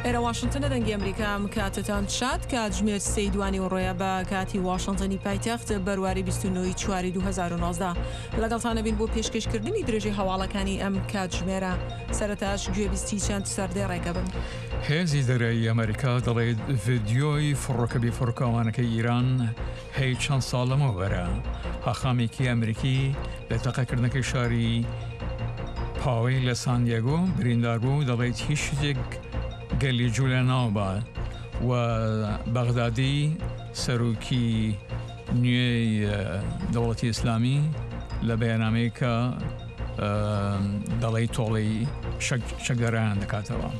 ئێرە واشنتنە دەنگی ئەمریکا ئەم کاتەتان شاد کاتژمێر سێی دوانیوەڕۆیە بە کاتی واشنتنی پایتەخت بەرواری 29 ی چواری 2019 لەگەڵتان ئەبین بۆ پێشکەشکردنی درێژەی هەواڵەکانی ئەم کاتژمێرە سەرەتاش گوێبیستی چەند سەردێڕێکە بن. هێزی دەریایی ئەمریکا دەڵێت ڤیدیۆی فڕۆکە بێفڕۆکەوانەکەی ئیران هەی چەند ساڵ لەمەوبەرە. حاخامێکی ئەمریکی لە تەقەکردنەکەی شاری پاوەی لە سان دیێگۆ بریندار بوو، دەڵێت هیچ شتێک گەلی جوولە ناوبات و بەغدادی سەرۆکی نوێی دەوڵەتی ئیسلامی لە بەیاننامەیەکە دەڵێی تۆڵەی چەکدارانیان دەکاتەوە.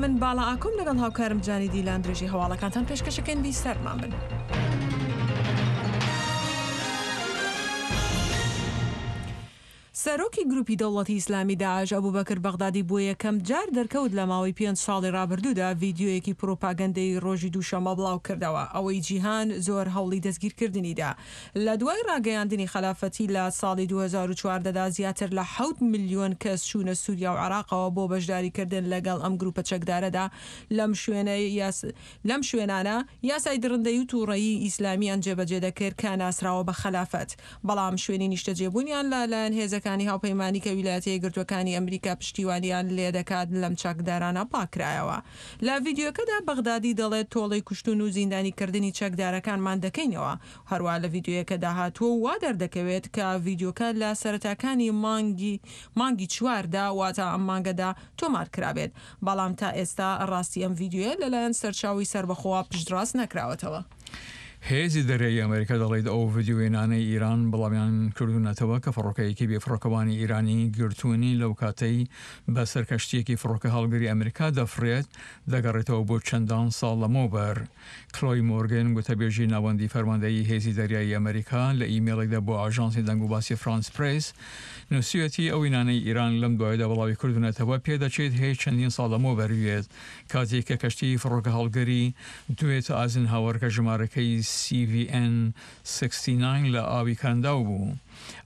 من باڵا ئاکۆم لەگەڵ هاوکارم جانی دیلان درێژەی هەواڵەکانتان پێشکەشەکەین بیسەرمان بن. سەرۆکی گروپی دەوڵەتی ئیسلامی داعش ئەبوبەکر بەغدادی بۆ یەکەم جار دەرکەوت لە ماوەی پێنج ساڵی ڕابردوودا ڤیدیۆیەکی پروپاگەندەیی ڕۆژی دووشەممە بڵاوکردەوە ئەوەی جیهان زۆر هەوڵی دەستگیرکردنی دا لە دوای ڕاگەیاندنی خەلافەتی لە ساڵی 2014 دا زیاتر لە حەوت ملیۆن کەس چوونە سوریا و عێراقەوە بۆ بەشداریکردن لەگەڵ ئەم گروپە چەکدارەدا لەم شوێنە لەم شوێنانە یاسای دڕندەیی و توڕەیی ئیسلامیان جێبەجێ دەکرد کە ناسراوە بە خەلافەت. بەڵام شوێنی نیشتەجێبوونیان لە لایەن هێزەکانی هاوپەیمانی کە ویلایەتە یەکگرتووەکانی ئەمریکا پشتیوانیان لێدەکات لەم چەکدارانە پاککرایەوە. لە ڤیدیۆکەدا بەغدادی دەڵێت تۆڵەی کوشتن و زیندانیکردنی چەکدارەکانمان دەکەینەوە. هەروا لە ڤیدیۆیەکەدا هاتووە و وا دەردەکەوێت کە ڤیدیۆکە لە سەرەتاکانی مانگی مانگی چواردا واتە ئەم مانگەدا تۆمار کرابێت. بەڵام تا ئێستا ڕاستی ئەم ڤیدیۆیە لەلایەن سەرچاوەی سەربەخۆوە پشتڕاست نەکراوەتەوە. هێزی دەریایی ئەمریکا دەڵێت ئەو ڤیدیۆ وێنانەی ئیران بڵاویان کردوونەتەوە کە فڕۆکەیەکی بێفڕۆکەوانی ئیرانی گرتوونی لەو کاتەی بەسەر کەشتییەکی فڕۆکە هەڵگری ئەمریکا دەفڕێت دەگەڕێتەوە بۆ چەندان ساڵ لەمەوبەر. کلۆی مۆرگن گوتەبێژی ناوەندی فەرماندەیی هێزی دەریایی ئەمریکا لە ئیمەیڵێکدا بۆ ئاژانسی دەنگوباسی فرانس پرێس نووسیویەتی ئەو وێنانەی ئیران لەم دوایەدا بڵاوی کردوونەتەوە پێدەچێت هی چەندین ساڵ لەمەوبەر بێت کاتێک کە کەشتیی فڕۆکەهەڵگری دوێت ئایزنهاوەر کە ژمارەکەی CVN 69 لە ئاوی کەنداو بوو.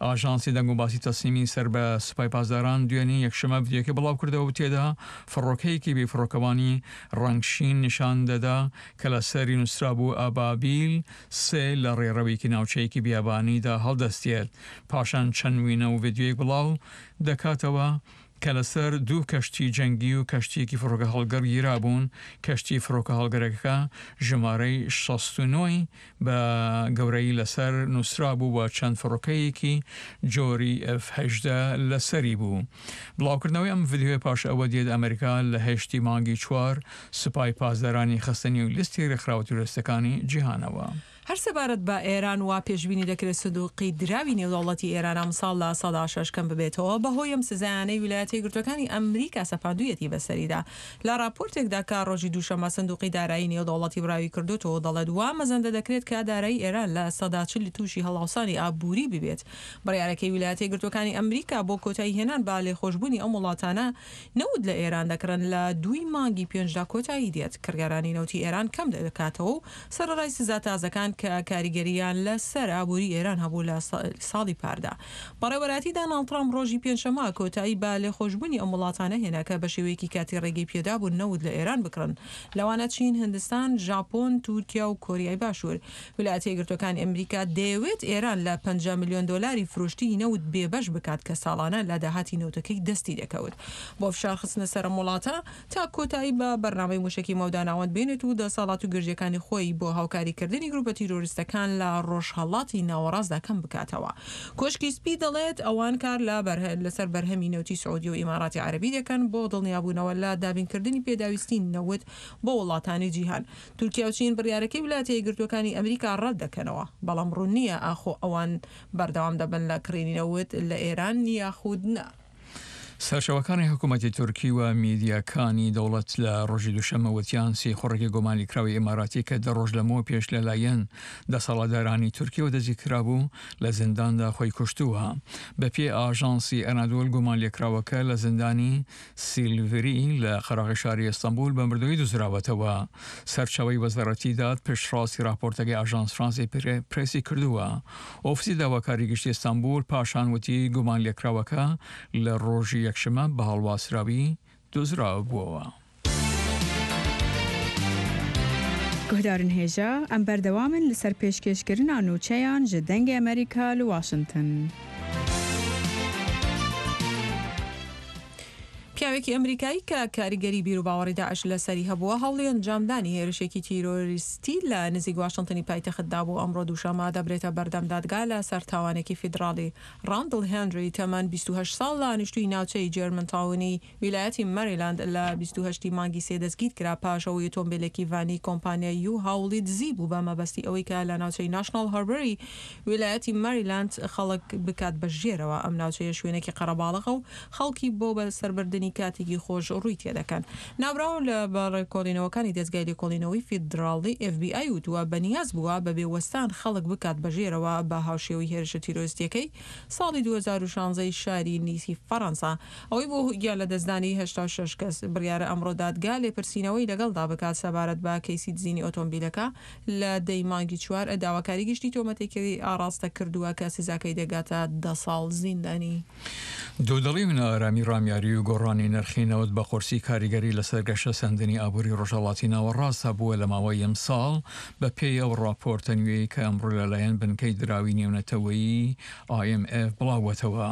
ئاژانسی دەنگوباسی تەسنیمی سەر بە سوپای پاسداران دوێنێ یەکشەممە ڤیدیۆکەی بڵاوکردەوە و تێدا فڕۆکەیەکی بێفڕۆکەوانی ڕەنگ شین نیشان دەدا کە لەسەری نووسرابوو ئەبابیل سێ لە ڕێڕەوێکی ناوچەیەکی بیابانیدا هەڵدەستێت. پاشان چەند وینە و ڤیدیۆیەک بڵاو دەکاتەوە کە لەسەر دوو کەشتی جەنگی و کەشتییەکی فڕۆکەهەڵگڕ گیرابوون، کەشتی فڕۆکەهەڵگرەکە ژمارەی 69 ی بە گەورەیی لەسەر نووسرابوو و چەند فڕۆکەیەکی جۆری ئێف 18 لەسەری بوو. بڵاوکردنەوەی ئەم ڤیدیۆیە پاش ئەوە دێت ئەمریکا لە هەشتی مانگی چوار سوپای پاسدارانی خستە نێو لیستی رێکخراوە تیرۆریستەکانی جیهانەوە. هەر سەبارەت بە ئێران وا پێشبینی دەکرێت سندوقی دراوی نێودەوڵەتی ئێران ئەمساڵ 6% کەم ببێتەوە بەهۆی ئەم سزایانەی ویلایەتە یەکگرتووەکانی ئەمریکا سەپاندوویەتی بەسەریدا. لە راپۆرتێکدا کە رۆژی دووشەممە سندوقی دارایی نێودەوڵەتی بڵاوی کردۆتەوە دەڵێت وا مەزەندە دەکرێت کە دارایی ئێران 40% تووشی هەڵاوسانی ئابووری ببێت. بڕیارەکەی ویلایەتە یەکگرتووەکانی ئەمریکا بۆ کۆتایی هێنان بە لێخۆشبوونی ئەم وڵاتانە نەوت لە ئێران دەکڕن لە دووی مانگی پێنجدا کۆتایی دێت، کڕیارانی نەوتی ئێران کەم دەکاتەوە و سەرەڕای سزا تازەکان کە کاریگەرییان لە سەر ئابووری ئێران هەبوو لە ساڵی پاردا. بەڕێوەبەرایەتی داناڵد ترامپ ڕۆژی پێنجشەممە کۆتایی بە لێخۆشبوونی ئەم وڵاتانە هێنا کە بە شێوەیەکی کاتی ڕێگەی پێدابوون نەوت لە ئێران بکڕن، لەوانە چین، هندستان، ژاپۆن، تورکیا و کۆریای باشوور. ویلایەتە یەکگرتووەکانی ئەمریکا دەیەوێت ئێران لە 50 ملیۆن دۆلاری فرۆشتنی نەوت بێبەش بکات کە ساڵانە لە داهاتی نەوتەکەی دەستی دەکەوت بۆ فشار خستنە سەر ئەم وڵاتە تا کۆتایی بە بەرنامەی موشەکی مەودا ناوەند بێنێت و دەسەڵات و گرژییەکانی خۆی بۆ هاوکاریکردنی گروپە تیرۆریستەکان لە ڕۆژهەڵاتی ناوەڕاستدا کەم بکاتەوە. کۆشکی سپی دەڵێت ئەوان کار لە لەسەر بەرهەمی نەوتی سعودیە و ئیماراتی عەرەبی دەکەن بۆ دڵنیابوونەوە لە دابینکردنی پێداویستی نەوت بۆ وڵاتانی جیهان. تورکیا و چین بڕیارەکەی ویلایەتە یەکگرتووەکانی ئەمریکا ڕەت دەکەنەوە، بەڵام ڕوون نییە ئاخۆ ئەوان بەردەوام دەبن لە کڕینی نەوت لە ئێران یاخود نا. سەرچاوەکانی حکوومەتی تورکی و میدیاکانی دەوڵەت لە ڕۆژی دووشەممە وتیان سیخوڕێکی گومانلێکراوی ئیماراتی کە دە ڕۆژ لەمەوە پێش لەلایەن دەسەڵاتدارانی تورکیەوە دەستگیرکرابوو لە زینداندا خۆی کوشتووە. بەپێی ئاژانسی ئەنادۆل گومانلێکراوەکە لە زیندانی سیلڤری لە قەراغی شاری ئیستەنبول بە مردوویی دۆزراوەتەوە. سەرچاوەی وەزارەتی داد پشتڕاستی راپۆرتەکەی ئاژانس فرانسی پرێسی کردووە. ئۆفیسی داواکاری گشتی ئیستەنبول پاشان وتی گومانلێکراوەکە لە رۆژی یەکشەممە بە هەڵواسراوی دۆزرابووەوە. Guhdarên hêja, em berdewam in li ser pêşkêşkirina nûçeyan ji Dengê Amerîka li Washington. پیاوێکی ئەمریکایی کە کاریگەری بیروباوەڕی داعش لەسەری هەبووە، هەوڵی ئەنجامدانی هێرشێکی تیرۆریستی لە نزیک واشنتنی پایتەخت دابوو، ئەمڕۆ دووشەممە دەبرێتە بەردەم دادگا لەسەر تاوانێکی فیدراڵی. ڕاندڵ هێنری تەمەن 28 ساڵ دانیشتووی ناوچەی جێرمنتاونی ویلایەتی مەریلاند لە 28 ی مانگی سێ دەستگیرکرا پاش ئەوەی ئۆتۆمبێلێکی ڤانی کۆمپانیای یو هاوڵی دزی بوو بە مەبەستی ئەوەی کە لە ناوچەی ناشناڵ هاربەری ویلایەتی مەریلاند خەڵک بکات بە ژێرەوە. ئەم ناوچەیە شوێنێکی قەرەباڵغە و خەڵکی بۆ بەسەربردنی کاتێکی خۆش ڕووی تێدەکەن. ناوبراو لە بە ڵێکۆڵینەوەکانی دەزگای لێکۆڵینەوەی فیدراڵی FBI وتووە بەنیاز بووە بەبێ وەستان خەڵک بکات بە ژێرەوە بە هاوشێوەی هێرشە تیرۆریستییەکەی ساڵی 2016 ی شاری نیسی فەرەنسا ئەوەی بووە هۆی گیانلەدەستدانی 86 کەس. بڕیارە ئەمڕۆ دادگا لێپرسینەوەی لەگەڵدا بکات سەبارەت بە کەیسی دزینی ئۆتۆمبیلەکە لە دە ی مانگی چوار داواکاری گشتی تۆمەتێکی ئاڕاستە کردووە کە سزاکەی دەگاتە دە ساڵ زیندانی. دوودڵی و نائارامی ڕامیاری و گۆڕانی نرخی نەوت بە قورسی کاریگەری لەسەر گەشەسەندنی ئابووری ڕۆژهەڵاتی ناوەڕاست هەبووە لە ماوەی ئەمساڵ، بە پێی ئەو ڕاپۆرتە نوێی کە ئەمڕۆ لەلایەن بنکەی دراوی نێونەتەوەیی، IMF، بڵاوبووەتەوە.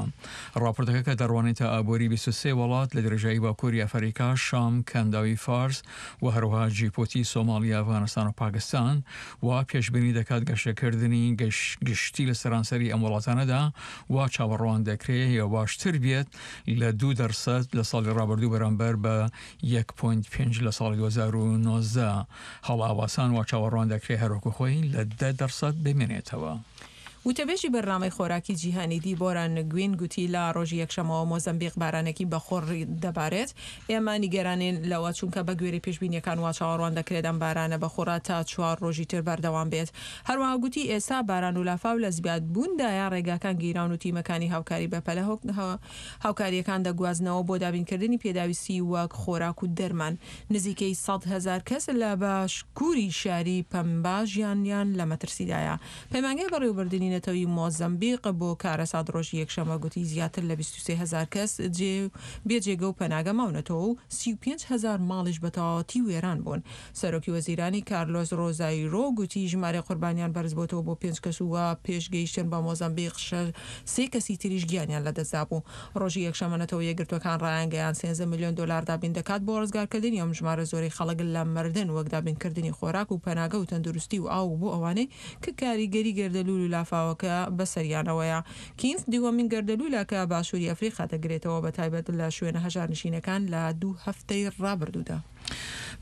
ڕاپۆرتەکە کە دەڕوانێتە ئابووری 23 وڵات لە درێژایی باکووری ئەفەریکا، شام، کەنداوی فارس و هەروەها جیبوتی، سۆماڵیا، ئەفغانستان و پاکستان، وا پێشبینی دەکات گەشەکردنی گشتی لە سەرانسەری ئەم وڵاتانەدا وا چاوەڕوان دەکرێ هێواشتر بێت لە دوو دەرسەد لە ساڵی ڕابردوو بەرامبەر بە یەک پۆینت پێنج لە ساڵی 2019. هەڵئاواسان وا چاوەڕوان دەکرێ هەروەکو خۆی لە دە دەرسەد بمێنێتەوە. وتەبێژی بەرنامەی خۆراکی جیهانی دیبۆرا نگوین گوتی لە ڕۆژی یەکشەممەوە مۆزەمبیق بارانێکی بەخوڕ دەبارێت، ئێمە نیگەرانین لەوە چونکە بەگوێرەی پێشبینییەکان وا چاوەڕوان دەکرێت ئەم بارانە بەخوڕە تا چوار ڕۆژی تر بەردەوام بێت. هەروەها گوتی ئێستا باران و لافاو لە زیادبووندایە، ڕێگاکان گیراون و تیمەکانی هاوکاری بەپەلە هاوکارییەکان دەگوازنەوە بۆ دابینکردنی پێداویستی وەک خۆراک و دەرمان. نزیکەی 100,000 کەس لە باشکوری شاری پەمبا ژیانیان لە مەترسیدایە. پەیمانگای بەڕێوەبردنی نەتەوەیی مۆزەمبیق بۆ کارەسات ڕۆژی یەکشەممە گوتی زیاتر لە 23 هەزار کەس جێ بێ جێگە و پەناگە ماونەتەوە و 35 هەزار ماڵیش بە تەواوەتی وێران بوون. سەرۆکی وەزیرانی کارلۆس ڕۆزایرۆ گوتی ژمارەی قوربانیان بەرزبۆتەوە بۆ پێنج کەس و پێش گەیشتن بە مۆزەمبیق سێ کەسی تریش گیانیان لەدەستدابوو. ڕۆژی یەکشەممە نەتەوە یەکگرتووەکان ڕایانگەیاند 13 ملیۆن دۆلار دابین دەکات بۆ ڕزگارکردنی ئەم ژمارە زۆرەی خەڵک لە مردن وەک دابینکردنی خۆراک و پەناگە و تەندروستی و ئاو بۆ ئەوانەی کە کاریگەری گەردەلوول و لافاوەکە بەسەریانەوەیە. کینث دووەمین گەردەلوولە کە باشووری ئەفریقا دەگرێتەوە بەتایبەت لە شوێنە هەژارنشینەکان لە دوو هەفتەی ڕابردوودا.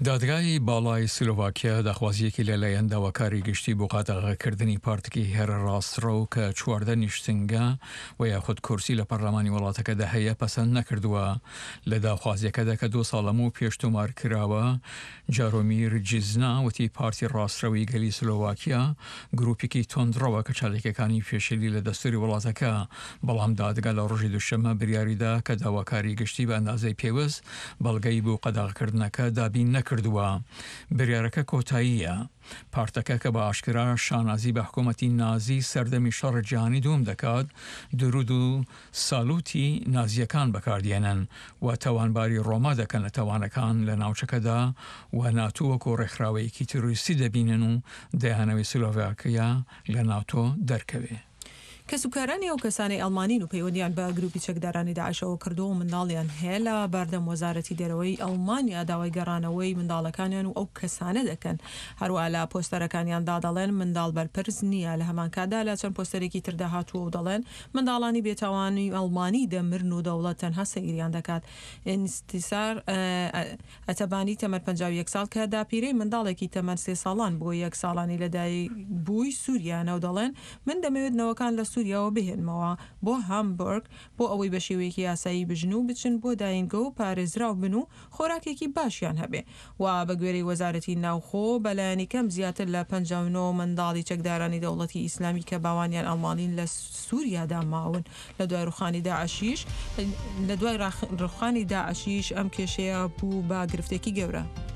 دادگای باڵای سلۆڤاکیا داخوازییەکی لەلایەن داواکاری گشتی بۆ قەدەغەکردنی پارتێکی هەرە ڕاستڕەو کە 14 نیشتنگە و یاخود کورسی لە پەرلەمانی وڵاتەکەدا هەیە پەسەند نەکردووە. لە داخوازییەکەدا کە دوو ساڵ لەمەو پێش تۆمار کراوە، جارۆمیر جیزنا وتی پارتی ڕاستڕەوی گەلی سلۆڤاکیا گروپێکی توندڕەوە کە چالاکیەکانی پێشێلی لە دەستوری وڵاتەکە، بەڵام دادگا لە ڕۆژی دووشەممە بریاریدا کە داواکاری گشتی بە ئەندازەی پێوست بەڵگەی بۆ قەدەغەکردنەکە دابین نەکردووە. بریارەکە کۆتاییە. پارتەکە کە بە ئاشکرا شانازی بە حکومەتی نازی سەردەمی شەڕی جیهانی دووەم دەکات، دروود و سالوتی نازییەکان بەکاردێنن و تاوانباری ڕۆما دەکەن لە تاوانەکان لە ناوچەکەدا و ناتۆ وەکو ڕێکخراوەیەکی تیرۆریستی دەبینن و دەیانەوێت سلۆڤاکیا لە ناتۆ دەرکەوێ. کەسوکارانی ئەو کەسانەی ئەڵمانین و پەیوەندیان بە گروپی چەکدارانی داعشەوە کردووە و منداڵیان هەیە لە بەردەم وەزارەتی دەرەوەی ئەڵمانیا داوای گەڕانەوەی منداڵەکانیان و ئەو کەسانە دەکەن. هەروەها لە پۆستەرەکانیاندا دەڵێن منداڵ بەرپرس نییە، لە هەمانکاتدا لە چەند پۆستەرێکی تردا هاتووە و دەڵێن منداڵانی بێتاوانی ئەڵمانی دەمرن و دەوڵەت تەنها سەیریان دەکات. ئینتیسار ئەتەبانی تەمەن 51 ساڵ کە داپیرەی منداڵێکی تەمەن سێ ساڵان بووە یەک ساڵانی لەدایکبووی سووریانە و دەڵێن من دەمەوێت نەوەکان لە سووریاوە بهێنمەوە بۆ هامبۆرگ بۆ ئەوەی بە شێوەیەکی یاسایی بژن و بچن بۆ داینگە و پارێزراو بن و خۆراکێکی باشیان هەبێ و بە گوێرەی وەزارەتی ناوخۆ بەلایەنی کەم زیاتر لە 59 منداڵی چەکدارانی دەوڵەتی ئیسلامی کە باوانیان ئەڵمانین لە سووریادا ماون. لە دوای ڕوخانی داعشیش لە دوای ڕوخانی داعشیش ئەم کێشەیە بوو بە گرفتێکی گەورە.